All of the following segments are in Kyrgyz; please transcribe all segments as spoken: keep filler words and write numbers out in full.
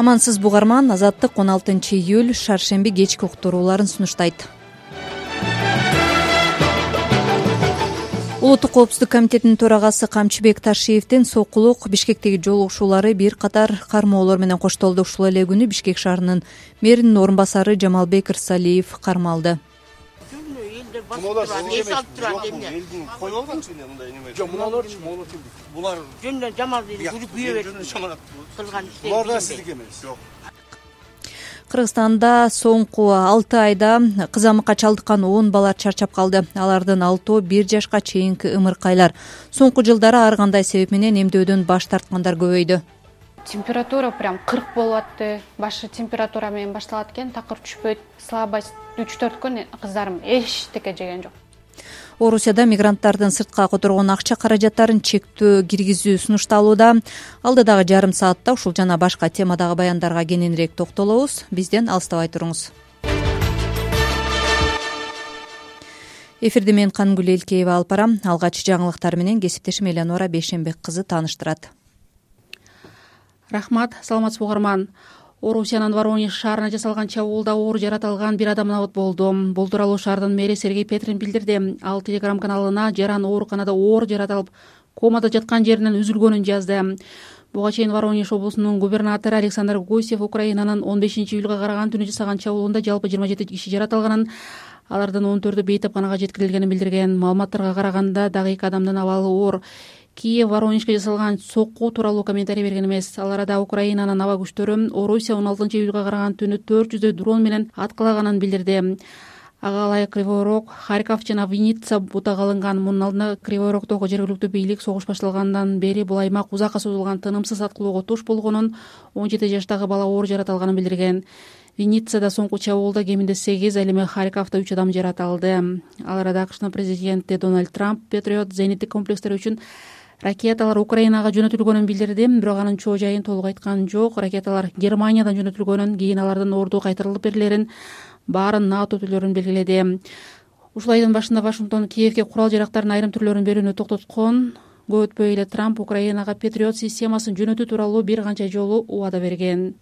Амансыз бугарман, Азаттык он алтынчы июль шаршемби кечки уктурууларын сунуштайт. Улуттук коопсуздук комитетинин төрагасы Камчыбек Ташиевдин сокулук Бишкектеги жолугушуулары бир катар кармоолор менен коштолду. Ушул эле күнү Бишкек шаарынын мэринин орун басары Жамалбек Ырсалиев кармалды. Булар жөнүндө жамалды жүрүп күйө кылган ишти. Булар да сиздики эмес. Жок. Кыргызстанда соңку алты айда кызамыкка чалдыккан он бала чарчап калды. Алардын алтоо бир жашка чейинки ымыркайлар. Соңку жылдары ар кандай себеп менен эмдөөдөн баш тарткандар көбөйдү. Температура прям кырк болуп атты. Башы температура менен башталат экен, такыр түшпөйт. Слабость үч төрт күн кыздарым эчтеке жеген жок. Орусияда мигранттардын сыртка которгон акча каражаттарын чектөө киргизүү сунушталууда. Алдыдагы жарым саатта ушул жана башка темадагы баяндарга кененирээк токтолобуз. Бизден алыстабай туруңуз. Эфирди мен Кангүл Элкеева алып барам. Алгач жаңылыктар менен кесиптешим Элеонора Бейшенбек кызы тааныштырат. Рахмат, саламатсызбы угарман. Орусиянын Воронеж шаарына жасалган чабуулда оор жарат алган бир адам набыт болду. Бул тууралуу шаардын мэри Сергей Петрин билдирди. Ал Телеграм каналына жаран ооруканада оор жарат алып, комада жаткан жеринен үзүлгөнүн жазды. Буга чейин Воронеж облусунун губернатору Александр Гусев Украинанын он бешинчи июлга караган түнү жасаган чабуулунда жалпы жыйырма жети киши жарат алганын, алардын он төртү бейтапканага жеткирилгенин билдирген. Маалыматтарга караганда дагы эки адамдын абалы оор. Киев Воронежге жасалган сокку тууралуу комментарий берген эмес. Ал арада Украинанын аба күчтөрү Орусия он алтынчы июлга караган түнү төрт жүздөй дрон менен аткалаганын билдирди. Ага ылайык Кривой Рог, Харьков жана Винница бутага алынган. Мунун алдында Кривой Рогдогу жергиликтүү бийлик согуш башталгандан бери бул аймак узакка созулган тынымсыз аткылоого туш болгонун, он жети жаштагы бала оор жарат алганын билдирген. Винницада соңку чабуулда кеминде сегиз, ал эми Харьковдо үч адам жарат алды. Ал арада АКШнын президенти Дональд Трамп Патриот зениттик комплекстер үчүн ракеталар Украинага жөнөтүлгөнүн билдирди, бирок анын чоо жайын толук айткан жок. Ракеталар Германиядан жөнөтүлгөнүн, кийин алардын орду кайтарылып берилерин, баарын НАТО өкүлдөрүн белгиледи. Ушул айдын башында Вашингтон Киевге курал жарактардын айрым түрлөрүн берүүнү токтоткон. Көп өтпөй эле Трамп Украинага Патриот системасын жөнөтүү тууралуу бир канча жолу убада берген.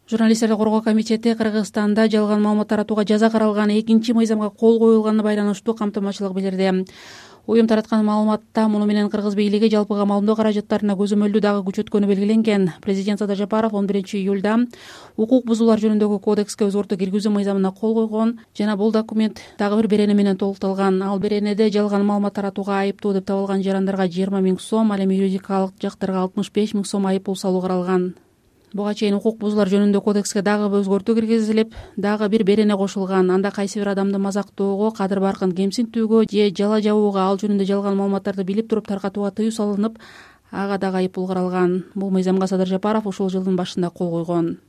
Журналисттерди коргоо комитети Кыргызстанда жалган маалымат таратууга жаза каралган экинчи мыйзамга кол коюлганына байланыштуу камтымачылык билдирди. Уюм тараткан маалыматта муну менен кыргыз бийлиги жалпыга маалымдоо каражаттарына көзөмөлдүү дагы күч өткөнү белгиленген. Президент Садыр Жапаров он биринчи июлда укук бузуулар жөнүндөгү кодекске өзгөртүү киргизүү мыйзамына кол койгон жана бул документ дагы бир берене менен толукталган. Ал беренеде жалган маалымат таратууга айыптуу деп табылган жарандарга жыйырма миң сом, ал эми юридикалык жактарга алтымыш беш миң сом айып пул салуу каралган. Буга чейин укук бузуулар жөнүндө кодекске дагы өзгөртүү киргизилип, дагы бир берене кошулган. Анда кайсы бир адамды мазактоого, кадыр баркын кемсинтүүгө же жала жабууга, ал жөнүндө жалган маалыматтарды билип туруп таркатууга тыюу салынып, ага дагы айып пул каралган. Бул мыйзамга Садыр Жапаров ушул жылдын башында кол койгон.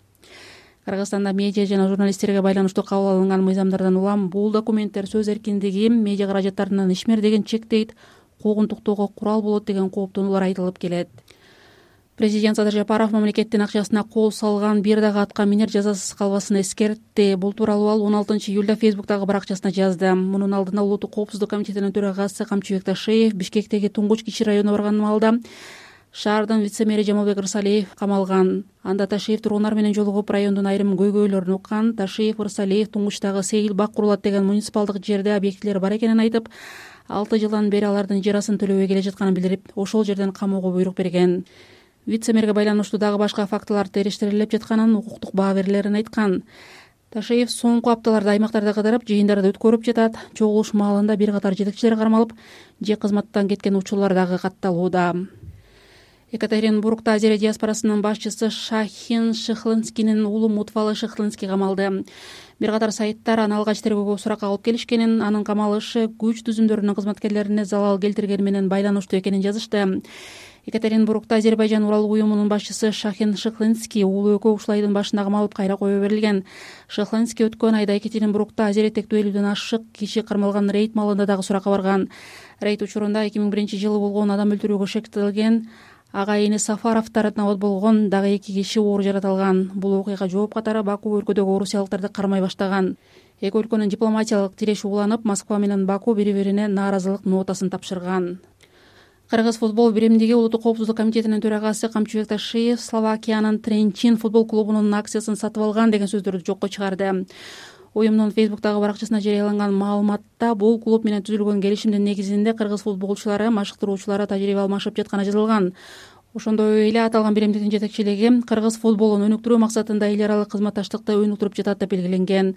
Кыргызстанда медиа жана журналисттерге байланыштуу кабыл алынган мыйзамдардан улам бул документтер сөз эркиндиги, медиа каражаттарынын ишмердигин чектейт, куугунтуктоого курал болот деген кооптонуулар айтылып келет. Президент Садыр Жапаров мамлекеттин акчасына кол салган бир дагы атка минер жазасыз калбасын эскертти. Бул тууралуу ал он алтынчы июлда Фейсбуктагы баракчасына жазды. Мунун алдында Улуттук коопсуздук комитетинин төрагасы Камчыбек Ташиев Бишкектеги Туңгуч кичи районуна барган маалда шаардын вице-мэри Жамалбек Ырсалиев камалган. Анда Ташиев тургундар менен жолугуп райондун айрым көйгөйлөрүн уккан. Ташиев Ырсалиев Туңгучтагы Сейил бак курулат деген муниципалдык жерде объектилер бар экенин айтып, алты жылдан бери алардын жарасын төлөбөй келе жатканын билдирип, ошол жерден камоого буйрук берген. Вице-мэрге байланыштуу дагы башка фактылар териштирилип жатканын, укуктук баа берилерин айткан. Ташиев соңку апталарда аймактарда кыдырып, жыйындарды өткөрүп жатат. Чогулуш маалында бир катар жетекчилер кармалып, же кызматтан кеткен учурлар дагы катталууда. Екатеринбургда Азия диаспорасынын башчысы Шахин Шыхлынскинин уулу Мутфалы Шыхлынский камалды. Бир катар сайттар аны алгач тергөөгө суракка алып келишкенин, анын камалышы күч түзүмдөрүнүн кызматкерлерине залал келтиргени менен байланыштуу экенин жазышты. Екатеринбургда Азербайжан Урал уюмунун башчысы Шахин Шыхлынский уулу экөө ушул айдын башында камалып кайра коюу берилген. Шыхлынский өткөн айда Екатеринбургда азиретектүү элүүдөн ашык киши кармалган рейд маалында дагы суракка барган. Рейд учурунда эки миң биринчи жылы болгон адам өлтүрүүгө шектелген ага эни Сафаровдор набыт болгон, дагы эки киши оор жарат алган. Бул окуяга жооп катары Баку өлкөдөгү орусиялыктарды кармай баштаган. Эки өлкөнүн дипломатиялык тиреши уланып, Москва менен Баку бири-бирине нааразылык нотасын тапшырган. Кыргыз футбол биримдиги улуттук коопсуздук комитетинин төрагасы Камчыбек Ташиев Словакиянын Тренчин футбол клубунун акциясын сатып алган деген сөздөрдү жокко чыгарды. Уюмдун Фейсбуктагы баракчасына жарыяланган маалыматта бул клуб менен түзүлгөн келишимдин негизинде кыргыз футболчулары, машыктыруучулары тажрыйба алмашып жатканы жазылган. Ошондой эле аталган биримдиктин жетекчилиги кыргыз футболун өнүктүрүү максатында эл аралык кызматташтыкты өнүктүрүп жатат деп белгиленген.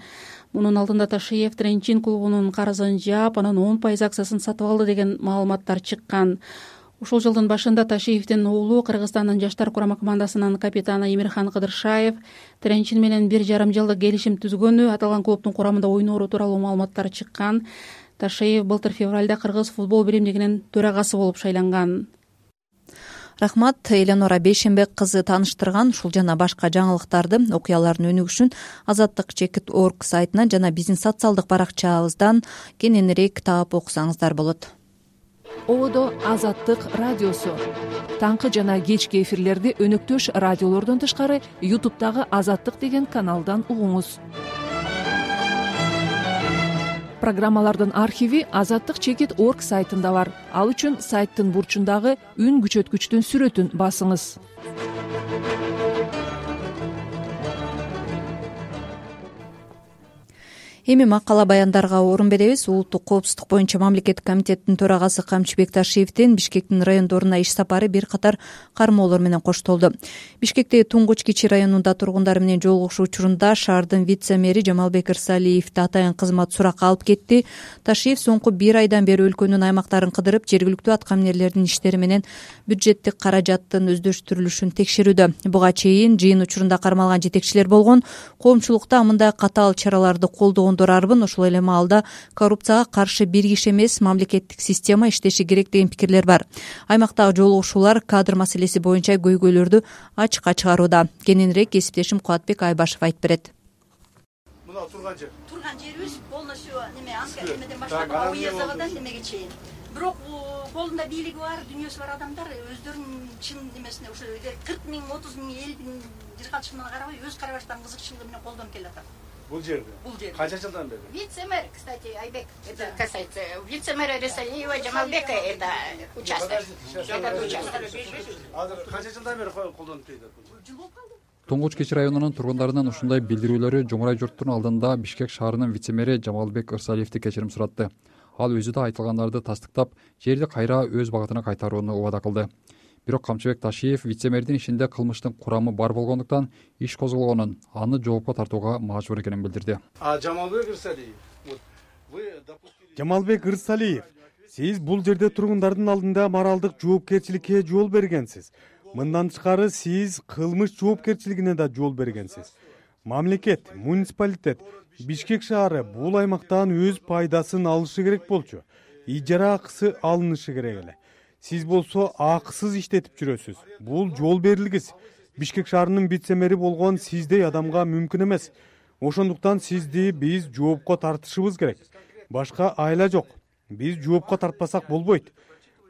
Мунун алдында Ташиев Тренчин клубунун карызын жаап, анын он пайыз акциясын сатып алды деген маалыматтар чыккан. Ушул жылдын башында Ташиевдин уулу Кыргызстандын жаштар курама командасынын капитаны Эмирхан Кыдыршаев Тренчин менен бир жарым жылдык келишим түзгөнү, аталган клубдун курамында ойноору тууралуу маалыматтар чыккан. Ташиев былтыр февралда Кыргыз футбол биримдигинин төрагасы болуп шайланган. Рахмат. Эленора Бейшембек кызы тааныштырган ушул жана башка жаңылыктарды, окуялардын өнүгүшүн Азаттык чекит точка орг сайтынан жана биздин социалдык баракчабыздан кененирээк таап окусаңыздар болот. Ободо Азаттык радиосу. Таңкы жана кечки эфирлерди өнөктөш радиолордон тышкары ютубтагы Азаттык деген каналдан угуңуз. Программалардын архиви Азаттык чекит точка орг сайтында бар. Ал үчүн сайттын бурчундагы үн күчөткүчтүн сүрөтүн басыңыз. Эми макала баяндарга орун беребиз. Улуттук коопсуздук боюнча мамлекеттик комитеттин төрагасы Камчыбек Ташиевдин Бишкектин райондоруна иш сапары бир катар кармоолор менен коштолду. Бишкектеги Туңгуч Кичи районунда тургундар менен жолугушуу учурунда шаардын вице-мэри Жамалбек Ырсалиевди атайын кызмат суракка алып кетти. Ташиев соңку бир айдан бери өлкөнүн аймактарын кыдырып, жергиликтүү аткаминерлердин иштери менен бюджеттик каражаттын өздөштүрүлүшүн текшерүүдө. Буга чейин жыйын учурунда кармалган жетекчилер болгон. Коомчулукта мындай катаал чараларды колдогон арбын, ошол эле маалда коррупцияга каршы бир киши эмес, мамлекеттик система иштеши керек деген пикирлер бар. Аймактагы жолугушуулар кадр маселеси боюнча көйгөйлөрдү ачыкка чыгарууда. Кененирээк кесиптешим Кубатбек Айбашев айтып берет. Мына турган жер. Турган жерибиз полностью неме анка немеден баштап уездагыдан немеге чейин. Бирок колунда бийлиги бар, дүйнөсү бар адамдар өздөрүнүн чын немесине ушу кырк миң, отуз миң, элүү миң жыргалчылыгына карабай, өз карабаштан кызыкчылыгы менен колдонуп келатат. Бул жерде. Бул жерде. Канча жылдан бери? Вице-мэр, кстати, Айбек, это касается вице-мэра Рисалиева Жамалбека, это участок. Этот участок. Азыр канча жылдан бери колдонуп келет? Жыл болуп калды. Туңгуч Кичи районунун тургундарынын ушундай билдирүүлөрү Жумурай журттун алдында Бишкек шаарынын вице-мэри Жамалбек Ырсалиевди кечирим суратты. Ал өзү да айтылгандарды тастыктап, жерди кайра өз багытына кайтарууну убада кылды. Бирок Камчыбек Ташиев вице-мэрдин ишинде кылмыштын курамы бар болгондуктан иш козголгонун, аны жоопко тартууга мажбур экенин билдирди. А Жамалбек Ырсалиев, вот вы допустили Жамалбек Ырсалиев, сиз бул жерде тургундардын алдында моралдык жоопкерчиликке жол бергенсиз. Мындан тышкары сиз кылмыш жоопкерчилигине да жол бергенсиз. Мамлекет, муниципалитет, Бишкек шаары бул аймактан өз пайдасын алышы керек болчу. Ижара акысы алынышы керек эле. Сиз болсо акысыз иштетип жүрөсүз. Бул жол берилгис. Бишкек шаарынын вице-мэри болгон сиздей адамга мүмкүн эмес. Ошондуктан сизди биз жоопко тартышыбыз керек. Башка айла жок. Биз жоопко тартпасак болбойт.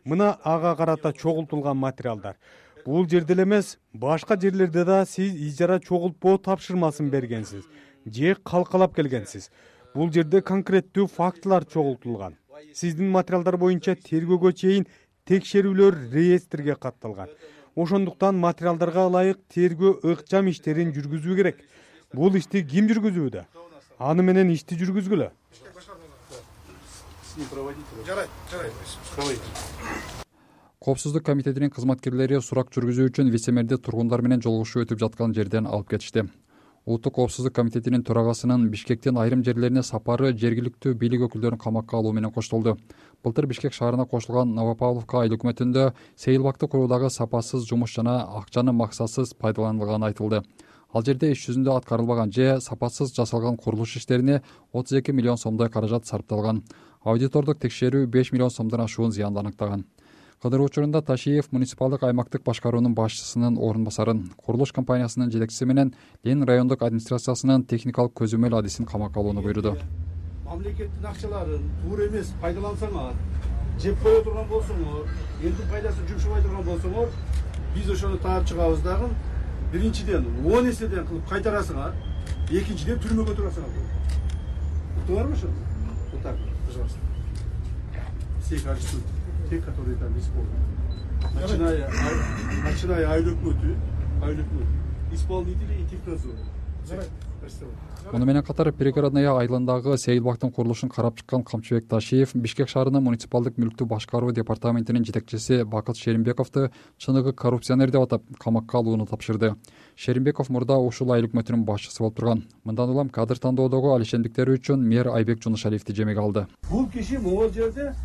Мына ага карата чогултулган материалдар. Бул жерде эле эмес, башка жерлерде да сиз ижара чогултпоо тапшырмасын бергенсиз же калкалап келгенсиз. Бул жерде конкреттүү фактылар чогултулган. Сиздин материалдар боюнча тергөөгө чейин текшерүүлөр реестрге катталган. Ошондуктан материалдарга ылайык тергөө ыкчам иштерин жүргүзүү керек. Бул ишти ким жүргүзүүдө? Аны менен ишти жүргүзгүлө. Жарайт, жарайт. Коопсуздук комитетинин кызматкерлери сурак жүргүзүү үчүн вице-мэрди тургундар менен жолугушуу өтүп жаткан жерден алып кетишти. Улуттук коопсуздук комитетинин төрагасынын Бишкектин айрым жерлерине сапары жергиликтүү бийлик өкүлдөрүн камакка алуу менен коштолду. Былтыр Бишкек шаарына кошулган Новопавловка айыл өкмөтүндө сейилбакты куруудагы сапасыз жумуш жана акчанын максатсыз пайдаланылганы айтылды. Ал жерде иш жүзүндө аткарылбаган же сапасыз жасалган курулуш иштерине отуз эки миллион сомдой каражат сарпталган. Аудитордук текшерүү беш миллион сомдон ашуун зыянды аныктаган. Кыдыруу учурунда Ташиев муниципалдык аймактык башкаруунун башчысынын орун басарын, курулуш компаниясынын жетекчиси менен Ленин райондук администрациясынын техникалык көзөмөл адисин камакка алууну буйруду. Мамлекеттин акчаларын туура эмес пайдалансаңар, жеп кое турган болсоңор, элдин пайдасын жумшабай турган болсоңор, биз ошону таап чыгабыз дагы. Биринчиден он эседен кылып кайтарасыңар, экинчиден түрмөгө турасыңар. Уктуңарбы ошону? Вот так, пожалуйста. Все качества, те, которые там исполнены. начиная айыл өкмөтү айыл өкмөтү исполнители и технадзор. Муну менен катар пригородная айылындагы сейилбактын курулушун карап чыккан Камчыбек Ташиев Бишкек шаарынын муниципалдык мүлктү башкаруу департаментинин жетекчиси Бакыт Шеримбековду чыныгы коррупционер деп атап камакка алууну тапшырды. Шеримбеков мурда ушул айыл өкмөтүнүн башчысы болуп турган. Мындан улам кадр тандоодогу алишендиктери үчүн мэр Айбек Жунушалиевди жемеге алды. Бул киши могул жерде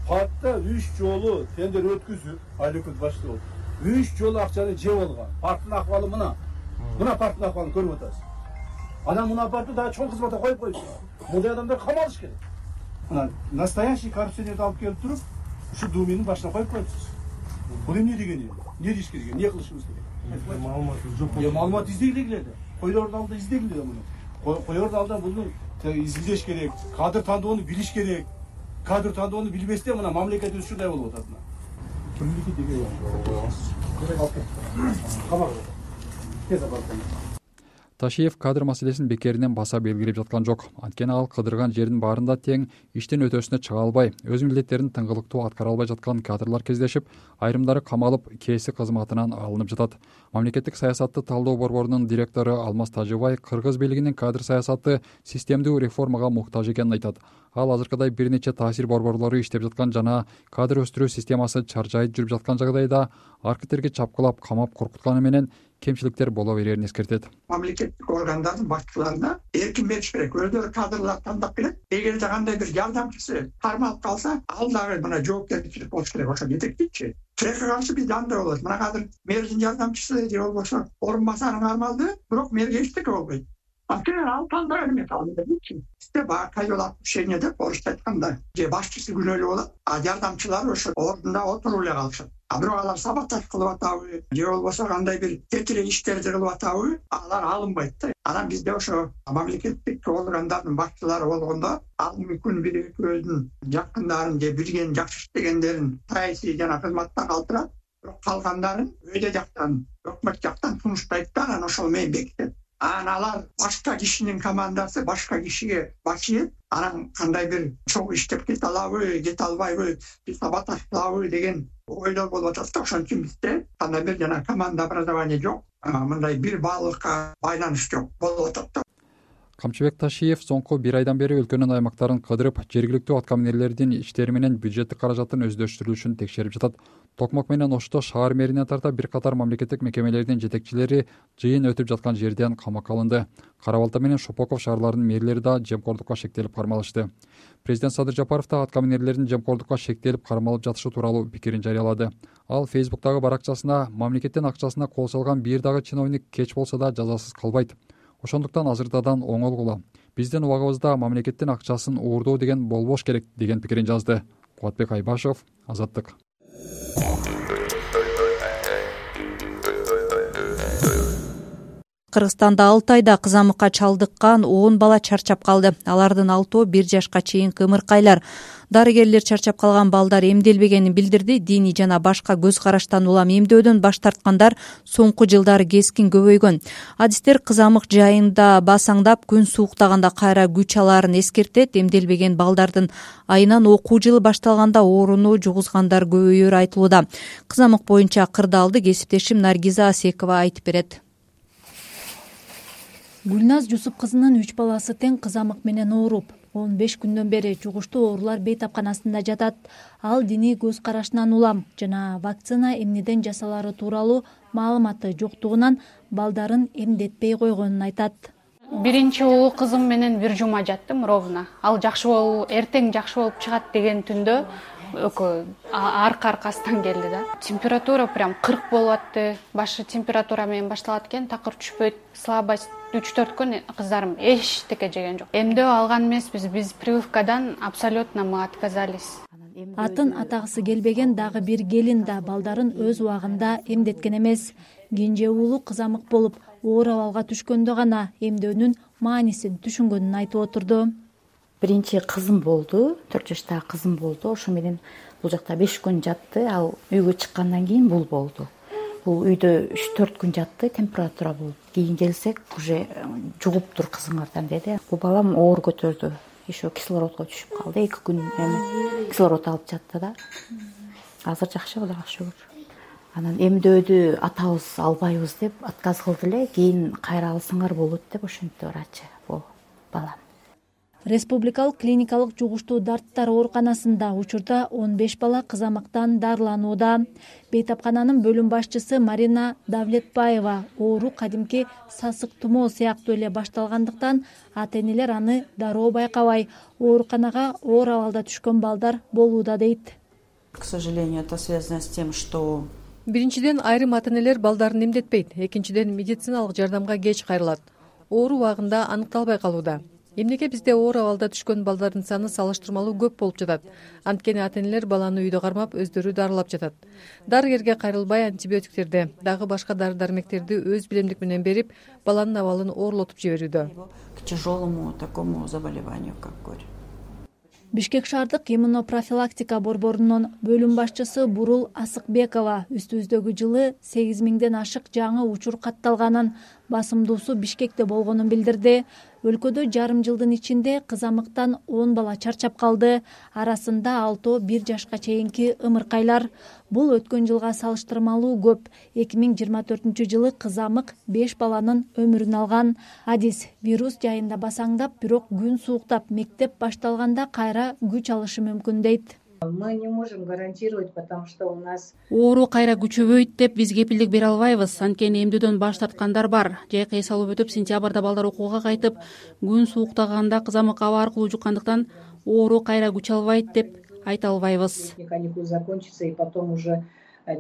партта үч жолу тендер өткүзүп айыл өкмөт башчысы болуп үч жолу акчаны жеп алган. Парттын акыбалы мына. Мына парттын акыбалын көрүп атасыз. Анан мына партты дагы чоң кызматка коюп коюшсуз. Мындай адамдар камалыш керек. Анан настоящий коррупционерди алып келип туруп, ушу Думинин башына коюп коюпсуз. Бул эмне дегени? Эмне деш керек? Эмне кылышыбыз керек? Маалымат жок. Э, маалымат издегиле да. Койлордун алдында издегиле да муну. Койлордун алдында буну изилдеш керек, кадр тандоону билиш керек. Кадр тандоону билбестен мына мамлекет ушундай болуп атат мына. Кимдики деген камак. Тез апарып. Ташиев кадр маселесин бекеринен баса белгилеп жаткан жок. Анткени ал кыдырган жердин баарында тең иштин өтөсүнө чыга албай, өз милдеттерин тыңгылыктуу аткара албай жаткан кадрлар кездешип, айрымдары камалып, кээси кызматынан алынып жатат. Мамлекеттик саясатты талдоо борборунун директору Алмаз Тажыбай кыргыз бийлигинин кадр саясаты системдүү реформага муктаж экенин айтат. Ал азыркыдай бир нече таасир борборлору иштеп жаткан жана кадр өстүрүү системасы чаржайып жүрүп жаткан жагдайда аркитерге чапкылап, камап коркутканы менен кемчиликтер боло берерин эскертет. Мамлекеттик органдардын башчыларына эркин бериш керек. Өздөрү кадрлар тандап келет. Эгерде кандай бир жардамчысы кармалып калса, ал дагы мына жоопкерчилик болуш керек. Ошо жетектейчи. Тилекке каршы биз андай болот. Мына азыр мэрдин жардамчысы же болбосо орун басары кармалды, бирок мэрге эчтеке болбойт. Анткени ал тандаган эмес ал депчи. Сизде баакай отношение деп орусча айтканда, же башчысы күнөөлүү болот, а жардамчылар ошо ордунда отуруп эле калышат. А бирок алар саботаж кылып атабы, же болбосо кандай бир тетирек иштерди кылып атабы, алар алынбайт да. Анан бизде ошо мамлекеттик органдардын башчылары болгондо, ал мүмкүн бир экөөдүн жакындарын же билген жакшы иштегендерин саясий жана кызматта калтырат, бирок калгандарын өйдө жактан, өкмөт жактан сунуштайт да, анан ошол менен бекитет. Анан алар башка кишинин командасы башка кишиге башчы, анан кандай бир чоң иштеп кете алабы, кете албайбы, саботаж кылабы деген ойлор болуп атат да. Ошон үчүн бизде кандай бир жана команда образование жок, мындай бир баалыкка байланыш жок болуп атат да. Камчыбек Ташиев соңку бир айдан бери өлкөнүн аймактарын кыдырып, жергиликтүү аткаминерлердин иштери менен бюджеттик каражаттын өздөштүрүлүшүн текшерип жатат. Токмок менен Ошто шаар мэринен тарта бир катар мамлекеттик мекемелердин жетекчилери жыйын өтүп жаткан жерден камакка алынды. Кара Балта менен Шопоков шаарларынын мэрлери да жемкордукка шектелип кармалышты. Президент Садыр Жапаров да аткаминерлердин жемкордукка шектелип кармалып жатышы тууралуу пикирин жарыялады. Ал Фейсбуктагы баракчасына мамлекеттин акчасына кол салган бир дагы чиновник кеч болсо да жазасыз калбайт. Ошондуктан азыртадан оңолгула. Биздин убагыбызда мамлекеттин акчасын уурдоо деген болбош керек деген пикирин жазды. Кубатбек Айбашев, Азаттык. Кыргызстанда алты айда кызамыкка чалдыккан он бала чарчап калды. Алардын алтоо бир жашка чейин кымыркайлар. Дарыгерлер чарчап калган балдар эмделбегенин билдирди. Диний жана башка көз караштан улам эмдөөдөн баш тарткандар соңку жылдары кескин көбөйгөн. Адистер кызамык жайында басаңдап, күн сууктаганда кайра күч алаарын эскертет. Эмделбеген балдардын айынан окуу жылы башталганда ооруну жугузгандар көбөйөрү айтылууда. Кызамык боюнча кырдаалды кесиптешим Наргиза Асекова айтып берет. Гүлназ Жусуп кызынын үч баласы тең кызамык менен ооруп, он беш күндөн бери жугуштуу оорулар бейтапканасында жатат. Ал диний көз карашынан улам жана вакцина эмнеден жасалары тууралуу маалыматы жоктугунан балдарын эмдетпей койгонун айтат. Биринчи улуу кызым менен бир жума жаттым ровно. Ал жакшы болуп, эртең жакшы болуп чыгат деген түндө экөө арка аркасынан келди да. Температура прям кырк болуп атты. Башы температура менен башталат экен, такыр түшпөйт, слабость. үч төрт күн кыздарым эчтеке жеген жок. Эмдөө алган эмеспиз, биз прививкадан абсолютно мы отказались. Атын атагысы келбеген дагы бир келин да балдарын өз убагында эмдеткен эмес. Кенже уулу кызамык болуп, оор абалга түшкөндө гана эмдөөнүн маанисин түшүнгөнүн айтып отурду. Биринчи кызым болду, төрт жаштагы кызым болду. Ошо менен бул жакта беш күн жатты. Ал үйгө чыккандан кийин бул болду. Бул үйдө үч төрт күн жатты, температура болуп. Кийин келсек, уже жугуптур кызыңардан деди. Бул балам оор көтөрдү. Еще кислородго түшүп калды. эки күн эми кислород алып жатты да. Азыр жакшы, Кудайга шүгүр. анан эмдөөдү атабыз албайбыз деп отказ кылды эле. Кийин кайра алсаңар болот деп ошентти врачы бул балам. Республикалык клиникалык жугуштуу дарттар ооруканасында учурда он беш бала кызамыктан дарыланууда. Бейтапкананын бөлүм башчысы Марина Давлетбаева оору кадимки сасык тумоо сыяктуу эле башталгандыктан ата-энелер аны дароо байкабай ооруканага оор абалда түшкөн балдар болууда дейт. К сожалению, это связано с тем, что биринчиден айрым ата-энелер балдарын эмдетпейт, экинчиден медициналык жардамга кеч кайрылат. Оору убагында аныкталбай калууда. Эмнеге бизде оор абалда түшкөн балдардын саны салыштырмалуу көп болуп жатат? Анткени ата-энелер баланы үйдө кармап, өздөрү дарылап жатат. Дарыгерге кайрылбай антибиотиктерди, дагы башка дары-дармектерди өз билемдик менен берип, баланын абалын оорлотуп жиберүүдө. К тяжелому такому заболеванию, как горь. Бишкек шаардык иммунопрофилактика борборунун бөлүм башчысы Бурул Асыкбекова үстүбүздөгү жылы сегиз миңден ашык жаңы учур катталганын, басымдуусу Бишкекте болгонун билдирди. Өлкөдө жарым жылдын ичинде кызамыктан он бала чарчап калды. Арасында алтоо бир жашка чейинки ымыркайлар. Бул өткөн жылга салыштырмалуу көп. эки миң жыйырма төртүнчү жылы кызамык беш баланын өмүрүн алган. Адис вирус жайында басаңдап, бирок күн сууктап, мектеп башталганда кайра күч алышы мүмкүн дейт. Мы не можем гарантировать, потому что у нас оору кайра күчөбөйт деп биз кепилдик бере албайбыз. Анткени эмдөөдөн баш тарткандар бар. Жайкы эс алып өтүп, сентябрда балдар окууга кайтып, күн сууктаганда кызамык аба аркылуу жуккандыктан оору кайра күч албайт деп айта албайбыз. Каникулы закончатся, и потом уже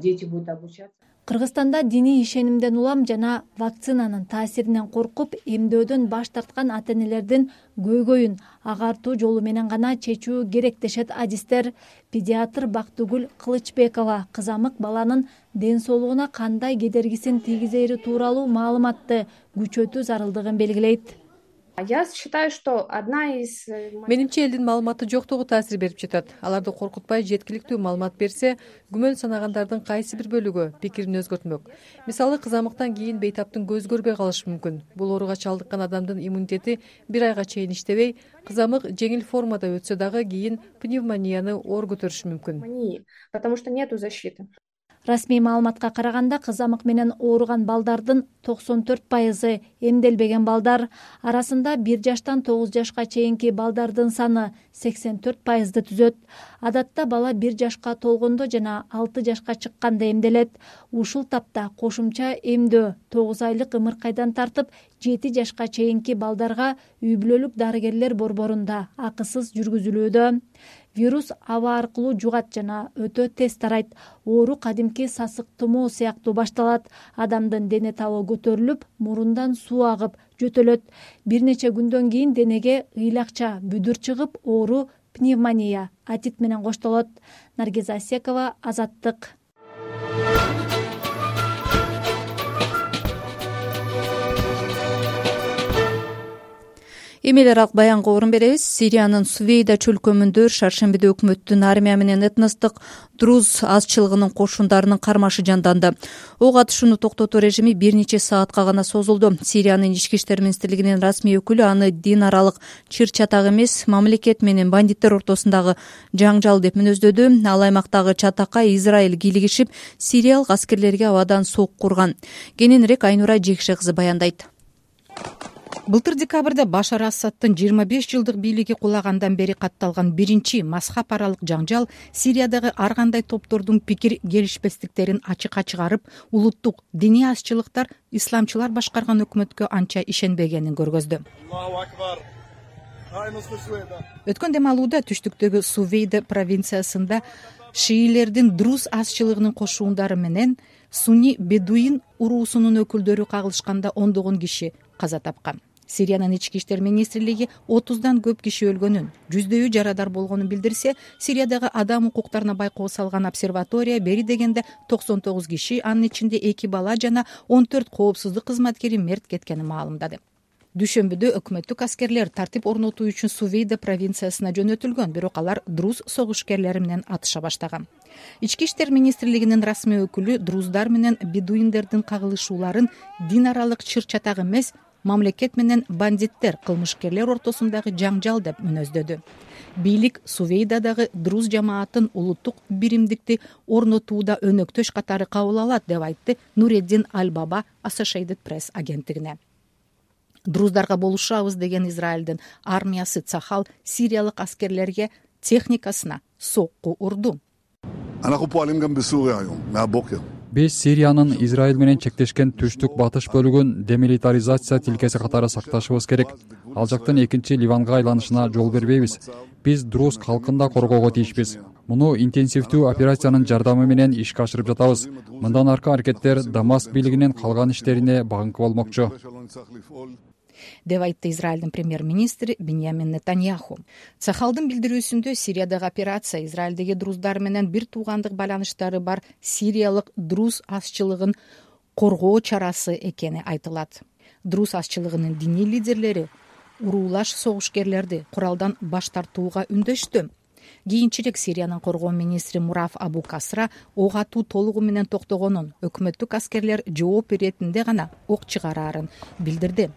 дети будут обучаться. Кыргызстанда диний ишенимден улам жана вакцинанын таасиринен коркуп, эмдөөдөн баш тарткан ата-энелердин көйгөйүн агартуу жолу менен гана чечүү керек дешет адистер. Педиатр Бактыгүл Кылычбекова кызамык баланын ден соолугуна кандай кедергисин тийгизери тууралуу маалыматты күчөтүү зарылдыгын белгилейт. Я считаю, что одна из Менимче элдин маалыматы жоктугу таасир берип жатат. Аларды коркутпай жеткиликтүү маалымат берсе, күмөн санагандардын кайсы бир бөлүгү пикирин өзгөртмөк. Мисалы, кызамыктан кийин бейтаптын көз көрбөй калышы мүмкүн. Бул ооруга чалдыккан адамдын иммунитети бир айга чейин иштебей, кызамык жеңил формада өтсө дагы кийин пневмонияны оор көтөрүшү мүмкүн. Потому что нету защиты. Расмий маалыматка караганда кызамык менен ооруган балдардын токсон төрт пайызы эмделбеген балдар. Арасында бир жаштан тогуз жашка чейинки балдардын саны сексен төрт пайызды түзөт. Адатта бала бир жашка толгондо жана алты жашка чыкканда эмделет. Ушул тапта кошумча эмдөө тогуз айлык ымыркайдан тартып жети жашка чейинки балдарга үй бүлөлүк дарыгерлер борборунда акысыз жүргүзүлүүдө. Вирус аба аркылуу жугат жана өтө тез тарайт. Оору кадимки сасык тумоо сыяктуу башталат. Адамдын дене табы көтөрүлүп, мурундан суу агып жөтөлөт. Бир нече күндөн кийин денеге ыйлакча бүдүр чыгып, оору пневмония, атит менен коштолот. Наргиза Асекова, Азаттык. Эмелер алк баянга орун беребиз. Сириянын Сувейда чөлкөмүндө шаршембиде өкмөттүн армия менен этностук друз азчылыгынын кошундарынын кармашы жанданды. Ок атышууну токтотуу режими бир нече саатка гана созулду. Сириянын ички иштер министрлигинин расмий өкүлү аны дин аралык чыр-чатак эмес, мамлекет менен бандиттер ортосундагы жаңжал деп мүнөздөдү. Ал аймактагы чатакка Израиль кийлигишип, сириялык аскерлерге абадан сок курган. Кененирээк Айнура Жекше кызы баяндайт. Былтыр декабрда Башар Асадтын жыйырма беш жылдык бийлиги кулагандан бери катталган биринчи мазхаб аралык жаңжал Сириядагы ар кандай топтордун пикир келишпестиктерин ачыкка чыгарып, улуттук диний азчылыктар исламчылар башкарган өкмөткө анча ишенбегенин көргөздү. Өткөн дем алууда түштүктөгү Сувейда провинциясында шиилердин друз азчылыгынын кошуундары менен Суни бедуин уруусунун өкүлдөрү кагылышканда ондогон киши каза тапкан. Сириянын ички иштер министрлиги отуздан көп киши өлгөнүн, жүздөйү жарадар болгонун билдирсе, Сириядагы адам укуктарына байкоо салган обсерватория бери дегенде токсон тогуз киши, анын ичинде эки бала жана он төрт коопсуздук кызматкери мерт кеткенин маалымдады. Дүйшөмбүдө өкмөттүк аскерлер тартип орнотуу үчүн Сувейда провинциясына жөнөтүлгөн, бирок алар друз согушкерлери менен атыша баштаган. Ички иштер министрлигинин расмий өкүлү друздар менен бедуиндердин кагылышууларын дин аралык чыр-чатак эмес, мамлекет менен бандиттер, кылмышкерлер ортосундагы жаңжал деп мүнөздөдү. Бийлик Сувейдадагы друз жамаатын улуттук биримдикти орнотууда өнөктөш катары кабыл алат деп айтты Нуреддин Аль-Баба Associated Press агенттигине. Друздарга болушабыз деген Израилдин армиясы Цахал сириялык аскерлерге техникасына сокку урду. Биз Сириянын Израиль менен чектешкен түштүк батыш бөлүгүн демилитаризация тилкеси катары сакташыбыз керек. Ал жактын экинчи Ливанга айланышына жол бербейбиз. Биз друз калкын да коргоого тийишпиз. Муну интенсивдүү операциянын жардамы менен ишке ашырып жатабыз. Мындан аркы аракеттер Дамаск бийлигинин калган иштерине багыңкы болмокчу, деп айтты Израилдин премьер-министри Биньямин Нетаньяху. Цахалдын билдирүүсүндө Сириядагы операция Израилдеги друздар менен бир туугандык байланыштары бар сириялык друз азчылыгын коргоо чарасы экени айтылат. Друз азчылыгынын диний лидерлери уруулаш согушкерлерди куралдан баш тартууга үндөштү. Кийинчерээк Сириянын коргоо министри Мураф Абу Касра ок атуу толугу менен токтогонун, өкмөттүк аскерлер жооп беретинде гана ок чыгараарын билдирди.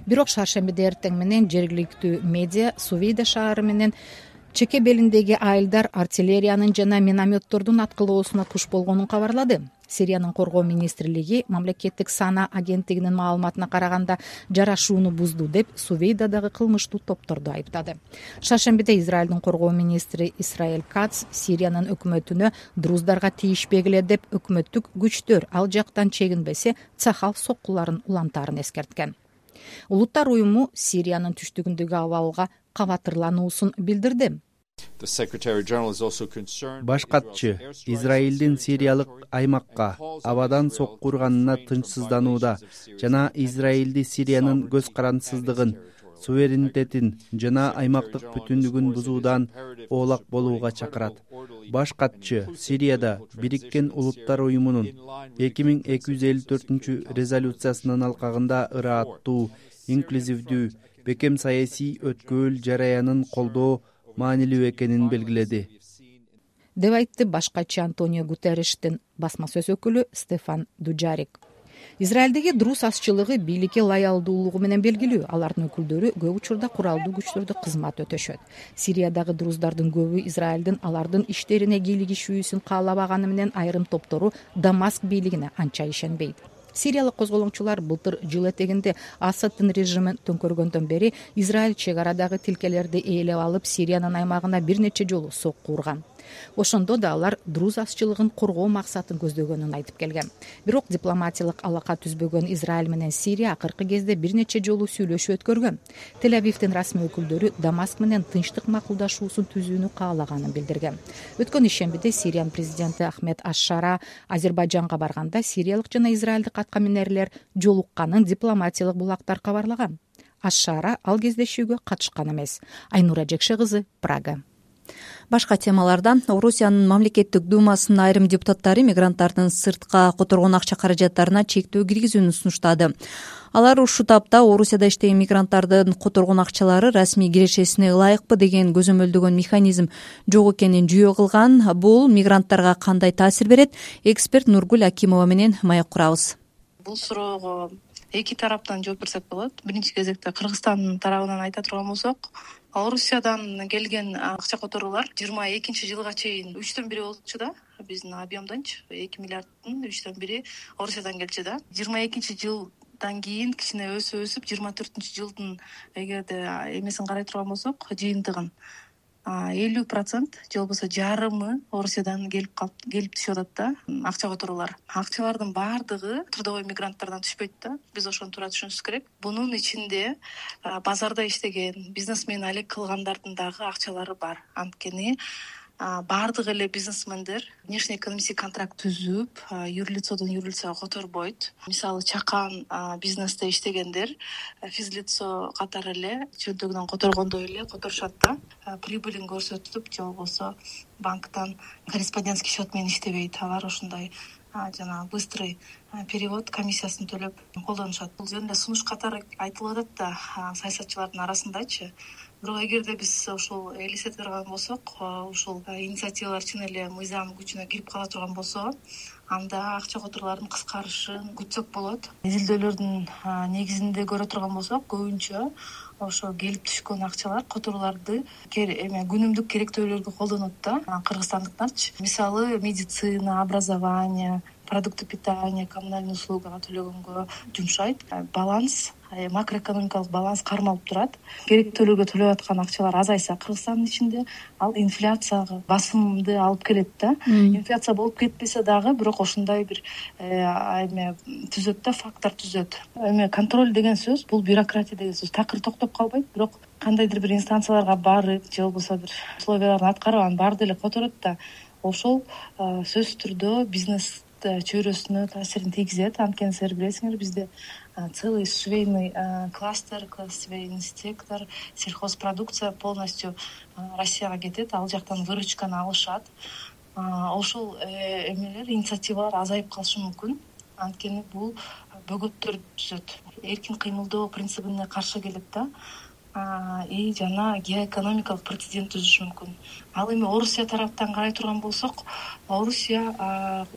Бирок шаршембиде эртең менен жергиликтүү медиа Сувейда шаары менен чеке белиндеги айылдар артиллериянын жана минометтордун аткылоосуна туш болгонун кабарлады. Сириянын коргоо министрлиги мамлекеттик сана агенттигинин маалыматына караганда жарашууну бузду деп Сувейдадагы кылмыштуу топторду айыптады. Шаршембиде Израилдин коргоо министри Исраэль Кац Сириянын өкмөтүнө друздарга тийишпегиле деп өкмөттүк күчтөр ал жактан чегинбесе Цахал соккуларын улантаарын эскерткен. Улуттар уюму Сириянын түштүгүндөгү абалга кабатырлануусун билдирди. Баш катчы Израилдин Сириялык аймакка абадан сокку урганына тынчсызданууда жана Израилди Сириянын көз карандысыздыгын, суверенитетин жана аймактык бүтүндүгүн бузуудан оолак болууга чакырат. Баш катчы Сирияда Бириккен Улуттар уюмунун эки миң эки жүз элүү төртүнчү резолюциясынын алкагында ырааттуу, инклюзивдүү, бекем саясий өткөөл жараянын колдоо маанилүү экенин белгиледи, деп айтты баш катчы Антонио Гутерриштин басма сөз өкүлү Стефан Дуджарик. Израилдеги друз азчылыгы бийликке лаялдуулугу менен белгилүү. Алардын өкүлдөрү көп учурда куралдуу күчтөрдө кызмат өтөшөт. Сириядагы друздардын көбү Израилдин алардын иштерине кийлигишүүсүн каалабаганы менен айрым топтору Дамаск бийлигине анча ишенбейт. Сириялык козголоңчулар былтыр жыл этегинде Асаддын режимин төңкөргөндөн бери Израиль чек арадагы тилкелерди ээлеп алып Сириянын аймагына бир нече жолу сокку урган. Ошондо да алар друз азчылыгын коргоо максатын көздөгөнүн айтып келген. Бирок дипломатиялык алака түзбөгөн Израиль менен Сирия акыркы кезде бир нече жолу сүйлөшүү өткөргөн. Тель-Авивдин расмий өкүлдөрү Дамаск менен тынчтык макулдашуусун түзүүнү каалаганын билдирген. Өткөн ишембиде Сириянын президенти Ахмед Аш-Шара Азербайжанга барганда сириялык жана израилдик атка минерлер жолукканын дипломатиялык булактар кабарлаган. Аш-Шара ал кездешүүгө катышкан эмес. Айнура Жекше кызы, Прага. Башка темалардан Орусиянын мамлекеттик думасынын айрым депутаттары мигранттардын сыртка которгон акча каражаттарына чектөө киргизүүнү сунуштады. Алар ушул тапта Орусияда иштеген мигранттардын которгон акчалары расмий кирешесине ылайыкпы деген көзөмөлдөгөн механизм жок экенин жүйө кылган. Бул мигранттарга кандай таасир берет? Эксперт Нургуль Акимова менен маек курабыз. Бул суроого эки тараптан жооп берсек болот. Биринчи кезекте Кыргызстан тарабынан айта турган болсок, Орусиядан келген акча которуулар жыйырма экинчи жылга чейин үчтөн бири болчу да, биздин объемдончу эки миллиарддын үчтөн бири Орусиядан келчү да. жыйырма экинчи жылдан кийин кичине өсүп өсүп жыйырма төртүнчү жылдын эгерде эмесин карай турган болсок, жыйынтыгын элүү процент же болбосо жарымы Орусиядан келип калып келип түшүп атат да акча которуулар. Акчалардын баардыгы трудовой мигранттардан түшпөйт да. Биз ошону туура түшүнүшүбүз керек. Бунун ичинде базарда иштеген, бизнесмен алек кылгандардын дагы акчалары бар. Анткени баардык эле бизнесмендер внешне экономический контракт түзүп, юрлицодон юрлицого которбойт. Мисалы чакан бизнесте иштегендер физлицо катары эле чөнтөгүнөн которгондой эле которушат да. Прибылин көрсөтүп, же болбосо банктан корреспондентский счет менен иштебейт. Алар ошондой жана быстрый перевод комиссиясын төлөп колдонушат. Бул жөнүндө сунуш катары айтылып атат да саясатчылардын арасындачы. Бирок эгерде биз ушул элестете турган болсок, ушул инициативалар чын эле мыйзам күчүнө кирип кала турган болсо, анда акча которуулардын кыскарышын күтсөк болот. Изилдөөлөрдүн негизинде көрө турган болсок, көбүнчө ошо келип түшкөн акчалар которууларды эме күнүмдүк керектөөлөргө колдонот да кыргызстандыктарчы. Мисалы, медицина, образование, продукты питания, коммунальный услугага төлөгөнгө жумшайт. Баланс, макроэкономикалык баланс кармалып турат. Керектөөлөргө төлөп аткан акчалар азайса Кыргызстандын ичинде, ал инфляцияга басымды алып келет да. Инфляция болуп кетпесе дагы, бирок ошондой бир эме түзөт да, фактор түзөт. Эме контроль деген сөз, бул бюрократия деген сөз. Такыр токтоп калбайт, бирок кандайдыр бир инстанцияларга барып, же болбосо бир условияларын аткарып, анан баары деле которот да. Ошол сөзсүз түрдө бизнес чөйрөсүнө таасирин тийгизет. Анткени силер билесиңер, бизде целый швейный кластер, классовый сектор, сельхозпродукция полностью Россияга кетет. Ал жактан выручканы алышат. Ошол эмелер, инициативалар азайып калышы мүмкүн. Анткени бул бөгөттөр түзөт. Эркин кыймылдоо принцибине каршы келет да. И жана геоэкономикалык прецедент түзүшү мүмкүн. Ал эми Орусия тараптан карай турган болсок, Орусия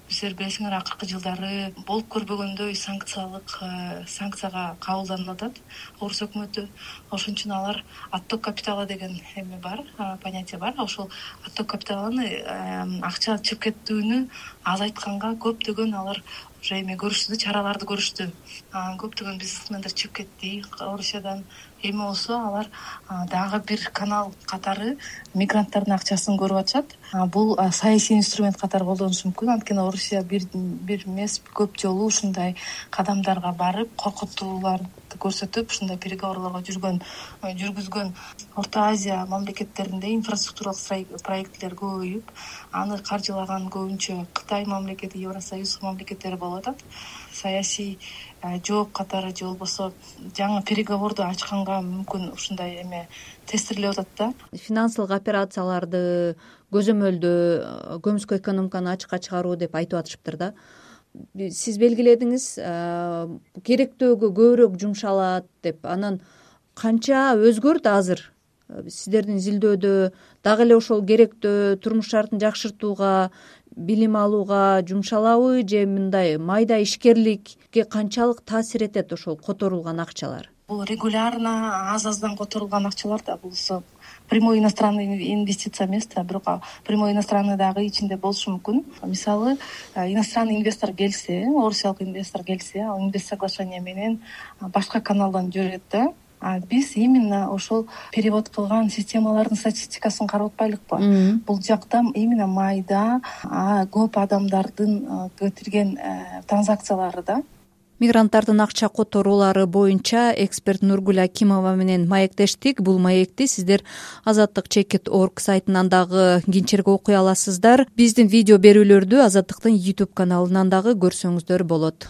силер билесиңер, акыркы жылдары болуп көрбөгөндөй санкциялык санкцияга кабылданып атат Орус өкмөтү. Ошон үчүн алар отток капитала деген эме бар, понятие бар. Ошол отток капиталыны, акча чыгып кетүүнү азайтканга көптөгөн алар уже эме көрүштү, чараларды көрүштү. Көптөгөн бизнесмендер чыгып кетти Орусиядан. Эми болсо алар дагы бир канал катары мигранттардын акчасын көрүп атышат. Бул саясий инструмент катары колдонушу мүмкүн. Анткени Орусия бир бир эмес, көп жолу ушундай кадамдарга барып, коркутууларды көрсөтүп, ушундай переговорлорго жүргөн жүргүзгөн. Орто Азия мамлекеттеринде инфраструктуралык проекттер көбөйүп, аны каржылаган көбүнчө Кытай мамлекети, Евросоюз мамлекеттери болуп атат. Саясий жооп катары же болбосо жаңы переговорду ачканга мүмкүн ушундай эме тестирлеп атат да. Финансылык операцияларды көзөмөлдөө, көмүскө экономиканы ачыкка чыгаруу деп айтып атышыптыр да. Сиз белгиледиңиз, керектөөгө көбүрөөк жумшалат деп. Анан канча өзгөрдү азыр? Сиздердин изилдөөдө дагы эле ошол керектөө турмуш шартын жакшыртууга, билим алууга жумшалабы, же мындай майда ишкерликке канчалык таасир этет ошол которулган акчалар? Бул регулярно аз-аздан которулган акчалар да, бул прямой иностранный инвестиция эмес да, бирок прямой иностранный дагы ичинде болушу мүмкүн. Мисалы, иностранный инвестор келсе, орусиялык инвестор келсе, ал инвест соглашение менен башка каналдан жүрөт да. Биз именно ошол перевод кылган системалардын статистикасын карап атпайлыкпы? Бул жакта именно майда көп адамдардын кетирген транзакциялары да. Мигранттардын акча которуулары боюнча эксперт Нургүл Акимова менен маектештик. Бул маекти сиздер азаттык чекит точка орг сайтынан дагы кийинчерээк окуй аласыздар. Биздин видео берүүлөрдү Азаттыктын YouTube каналынан дагы көрсөңүздөр болот.